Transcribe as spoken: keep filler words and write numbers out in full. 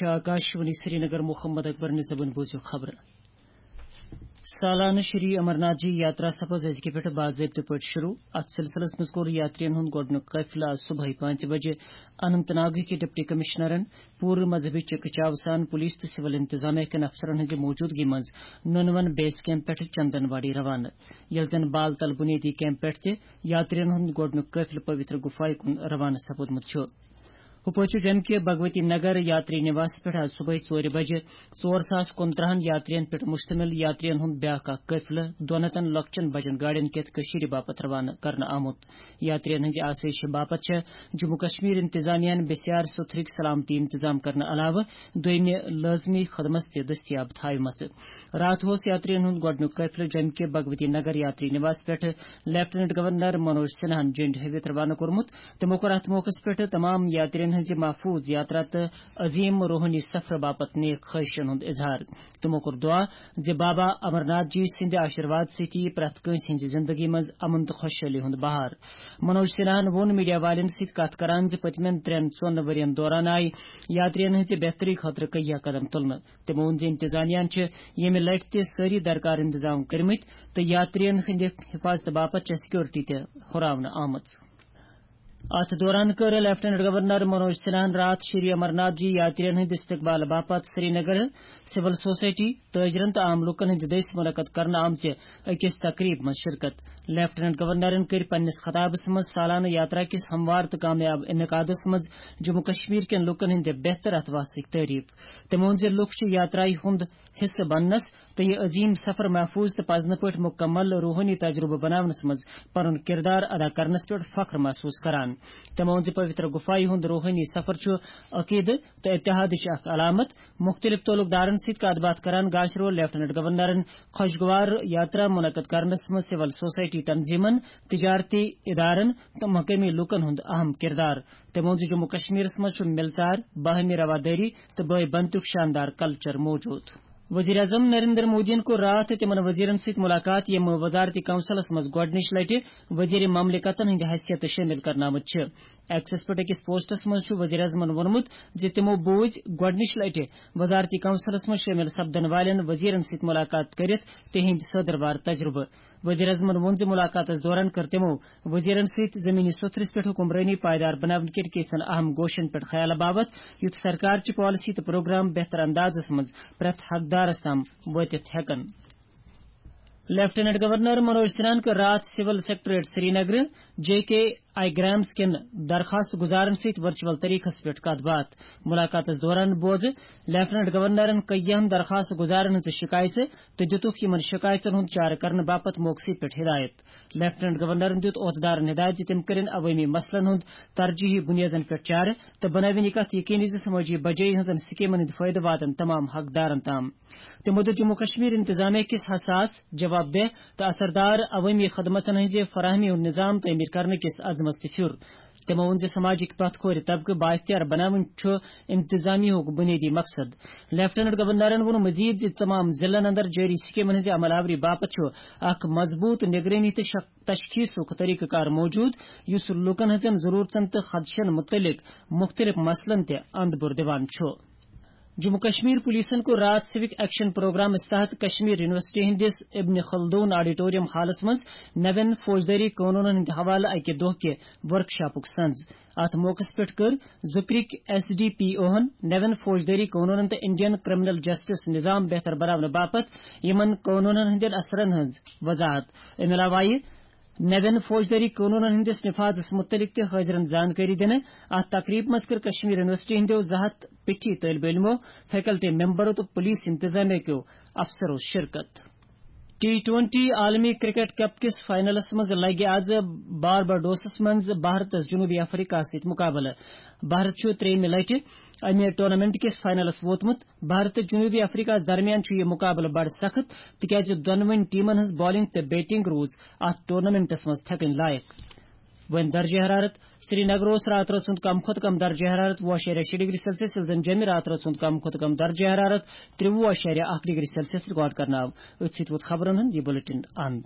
آکاشوانی سرینگر۔ محمد اکبر نظامن بوٗزِو خبرٕ۔ سالانہٕ شری امرناتھ جی یاترا سپز أزکہِ پٮ۪ٹھٕ باضٲبطہٕ پٲٹھۍ شروع۔ اتھ سلسلس منٛز کوٚر یاترین ہُنٛد گۄڈٕنیُک قٲفلہٕ آز صبحٲے پانٛژِ بجہِ اننت ناگٕکہِ ڈپٹی کمشنرن پوٗرٕ مذہبی چکہٕ چاوٕ سان پولیس تہٕ سول انتظامیہ کٮ۪ن افسرن ہٕنٛزِ موٗجوٗدگی منٛز نُنون بیس کیمپ پٮ۪ٹھٕ چندن واڑی روانہٕ، ییٚلہِ زن بال تل بنیٲدی کیمپ پٮ۪ٹھ تہِ یاترین ہُنٛد گۄڈٕنیُک قٲفلہٕ پویتر گفایہِ کُن روانہٕ سپُدمُت چھُ۔ ہُپٲرۍ چھُ جمہِ کہِ بھگوتی نگر یاتری نِواس پٮ۪ٹھ آز صبحٲے ژورِ بجہِ ژور ساس کُنترٕہن یاترین پٮ۪ٹھ مشتمل یاترین ہُنٛد بیٛاکھ اکھ قٲفلہٕ دۄن ہتن لۄکچن بجن گاڑین کٮ۪تھ کٔشیٖرِ باپتھ روانہٕ کرنہٕ آمُت۔ یاترین ہٕنٛزِ آسٲیشہِ باپتھ چھےٚ جموں کشمیر انتظامیہ ہن بسیار سُتھرٕکۍ سلامتی انتظام کرنہٕ علاوٕ دوٚیمہِ لٲزمی خدمت تہِ دٔستیاب تھاوِمژٕ۔ راتھ اوس یاترین ہُنٛد گۄڈٕنیُک قٲفلہٕ جمہِ کہِ بھگوتی نگر یاتری نِواس پٮ۪ٹھ لیفٹیننٹ گورنر منوج سنہاہن جنڈ ہٲوِتھ روانہٕ کوٚرمُت۔ تِمو کوٚر اتھ موقعس پٮ۪ٹھ تمام یاترین ہٕنٛزِ محفوظ یاترا تہٕ عظیم روحٲنی سفرٕ باپتھ نیک خواہشن ہُنٛد اظہار۔ تِمو کوٚر دعا زِ بابا امرناتھ جی سٕنٛدِ آشیرواد سۭتۍ یِیہِ پرٛٮ۪تھ کٲنٛسہِ ہٕنٛزِ زندگی منٛز امن تہٕ خۄشحٲلی ہُنٛد بہار۔ منوج سنہاہن ووٚن میڈیا والٮ۪ن سۭتۍ کتھ کران زِ پٔتمٮ۪ن ترٛٮ۪ن ژۄن ؤرین دوران آیہِ یاترین ہٕنٛزِ بہتری خٲطرٕ کہیا قدم تُلنہٕ۔ تٔمۍ ووٚن زِ انتظامیہ ہن چھِ ییٚمہِ لٹہِ تہِ سٲری درکار انتظام کٔرمٕتۍ تہٕ یاترین ہٕنٛدِ حفاظتہٕ باپتھ چھےٚ سیکورٹی تہِ ہُراونہٕ آمٕژ۔ اتھ دوران کٔر لیفٹیننٹ گورنر منوج سنہاہن راتھ شری امرناتھ جی یاترین ہٕنٛدِ استقبال باپتھ سرینگر سول سوسائٹی، تاجرن تہٕ عام لوٗکن ہٕنٛدِ دٔسۍ منعقد کرنہٕ آمژِ أکِس تقریب منٛز شرکت۔ لیفٹیننٹ گورنرن کٔرۍ پننِس خطابس منٛز سالانہٕ یاترا کِس ہموار تہٕ کامیاب انعقادس منٛز جموں کشمیر کٮ۪ن لوٗکن ہٕنٛدِ بہتر اتھواسٕچ تعریف۔ تٔمۍ ووٚن زِ لوٗکھ چھِ یاترایہِ ہُنٛد حصہٕ بننس تہٕ یہِ عظیم سفر محفوظ تہٕ پزنہٕ پٲٹھۍ مکمل روحٲنی تجربہٕ بناونس منٛز پنُن کردار ادا کرنس پٮ۪ٹھ فخر محسوس کران۔ تٔمۍ ووٚن زِ پویتر گفایہِ ہُنٛد روحٲنی سفر چھُ عقیدٕ تہٕ اتحادٕچ اکھ علامت۔ مُختٔلِف تعلق دارن سۭتۍ کتھ باتھ کران گاشرول لیفٹیننٹ گورنرن خۄشگوار یاترا منعقد کرنس منٛز سول سوسائٹی تنظیمن، تجارتی ادارن تہٕ مقٲمی لوٗکن ہُنٛد اہم کردار۔ تٔمۍ ووٚن زِ جموں کشمیرس منٛز چھُ مِلژار، باہمی روادٲری تہٕ بٲے بنتُک شاندار کلچر موجود۔ وزیر اعظم نریندر مودیَن کوٚر راتھ تِمن وزیرن سۭتۍ ملاقات، یِم وزارتی کونسلس منٛز گۄڈٕنِچ لٹہِ وزیر مملکتن ہٕنٛدِ حیثیتہٕ شٲمِل کرنہٕ آمٕتۍ چھِ۔ ایکسس پٮ۪ٹھ أکِس پوسٹس منٛز چھُ وزیر اعظمن ووٚنمُت زِ تِمو بوٗزۍ گۄڈٕنِچ لٹہِ وزارتی کونسلس منٛز شٲمِل سپدن والٮ۪ن وزیرن سۭتۍ ملاقات کٔرِتھ تِہنٛدۍ سٲدٕروار تجربہٕ۔ وزیر اعظمن ووٚن زِ ملاقاتس دوران کٔر تِمو وزیرن سۭتۍ زمینی سوٚتھرِس پٮ۪ٹھ حکمرٲنی پائیدار بناونہٕ کٮ۪ن کینٛژن اہم گوشن پٮ۪ٹھ خیال باپتھ، یُتھ سرکار چہِ پالیسی تہٕ پروگرام بہتر اندازس منٛز پرٛٮ۪تھ حقدارس تام وٲتِتھ ہٮ۪کن۔ لیفٹیننٹ گورنر منوج سنہاہن کٔر راتھ civil secretariat Srinagar, J K I grams کٮ۪ن درخواست گزارن سۭتۍ ورچوئل طریقس پٮ۪ٹھ کتھ باتھ۔ ملاقاتس دوران بوزٕ لیفٹیننٹ گورنرن کٔیہن درخواست گزارن ہٕنٛز شکایژٕ تہٕ دِتُکھ یِمن شکایژن ہُنٛد چارٕ کرنہٕ باپتھ موقعہٕ سۭتۍ پٮ۪ٹھ ہدایت۔ لیفٹیننٹ گورنرن دیُت عہدٕدارن ہدایت زِ تِم کٔرِن عوٲمی مسلن ہُنٛد ترجیحی بُنیادن پٮ۪ٹھ چارٕ تہٕ بنٲوِن یہِ کتھ یقینی زِ سمٲجی بجٲیی ہٕنٛزن سکیمن ہٕنٛدۍ فٲیدٕ واتن تمام حقدارن تام۔ تِمو دیُت جموں کشمیر انتظامیہ کِس حساس، جواب دہ تہٕ اثردار عوٲمی خدمژن ہٕنٛزِ فراہمی ہُنٛد نظام تعمیٖر کرنہٕ کِس عزمس تہِ پھیُر۔ تِمو ووٚن زِ سماجٕکۍ پتھ کھورِ طبقہٕ بااختیار بناوٕنۍ چھُ انتظامیہ ہُک بُنیٲدی مقصد۔ لیفٹیننٹ گورنرن ووٚن مزید زِ تمام ضلعن اندر جٲری سکیمن ہٕنٛزِ عمل آوری باپتھ چھُ اکھ مضبوٗط نگرٲنی تہٕ شک-، تشخیصُک طریقہٕ کار موجود، یُس لوٗکن ہٕنٛزن ضروٗرتن تہٕ خدشن مُتعلق مُختٔلِف مسلن تہِ اندپور دِوان چھُ۔ جموں کشمیر پولیسن کوٚر راتھ سِوک ایکشن پروگرامس تحت کشمیر یونیورسٹی ہٕنٛدِس ابن خلدون آڈیٹوریم ہالس منٛز نوین فوجدٲری قونوٗنن ہٕنٛدِ حوالہٕ اکہِ دۄہ کہِ ورکشاپُک سنز۔ اتھ موقعس پٮ۪ٹھ کٔر ذکرٕکۍ ایس ڈی پی اوہن نوین فوجدٲری قونوٗنن تہٕ انڈین کرمنل جسٹس نظام بہتر بناونہٕ باپتھ یِمن قونوٗنن ہٕنٛدٮ۪ن اثرن ہٕنٛز وضاحت۔ امہِ علاوٕ آیہِ نوین فوجدٲری قونوٗنن ہٕنٛدِس نفاذس مُتعلق تہِ حٲضرن زانکٲری دِنہٕ۔ اتھ تقریبہِ منٛز کٔر کشمیر یونیورسٹی ہٕنٛدیو زٕ ہتھ پیٹھی طٲلبہِ علمو، فیکلٹی ممبرو تہٕ پولیس انتظامیہ کیو افسرو شرکت۔ ٹی ٹوئنٹی عالمی کرکٹ کپ کِس فائنلس منٛز لگہِ آز بارباڈوسس منٛز بھارتس جنوبی افریقہ سۭتۍ مقابلہٕ۔ بھارت چھُ ترٛیٚیِمہِ لٹہِ امہِ ٹورنامنٹ کِس فائنلس ووتمُت۔ بھارت تہٕ جنوبی افریقہس درمیان چھُ یہِ مقابلہٕ بڑٕ سخت، تِکیازِ دۄنوٕنی ٹیمن ہٕنٛز بالنگ تہٕ بیٹنگ روٗز اتھ ٹورنامنٹس منٛز تھٮ۪کٕنۍ لایق۔ وۄنۍ درجہ حرارت۔ سرینگر اوس راتہٕ رٲژ ہُنٛد کم کھۄتہٕ کم درجہ حرارت وُہ اَشاریہ شےٚ ڈگری سیلسیس، ییٚلہِ زن جیٚمہِ راتہٕ رٲژ ہُنٛد کم کھۄتہٕ کم درجہ حرارت ترٛوُہ اَشاریہ اکھ ڈگری سیلسیس ریکارڈ کرنہٕ آو۔ أتھۍ سۭتۍ ووت خبرن ہُنٛد یہِ بلیٹن اند۔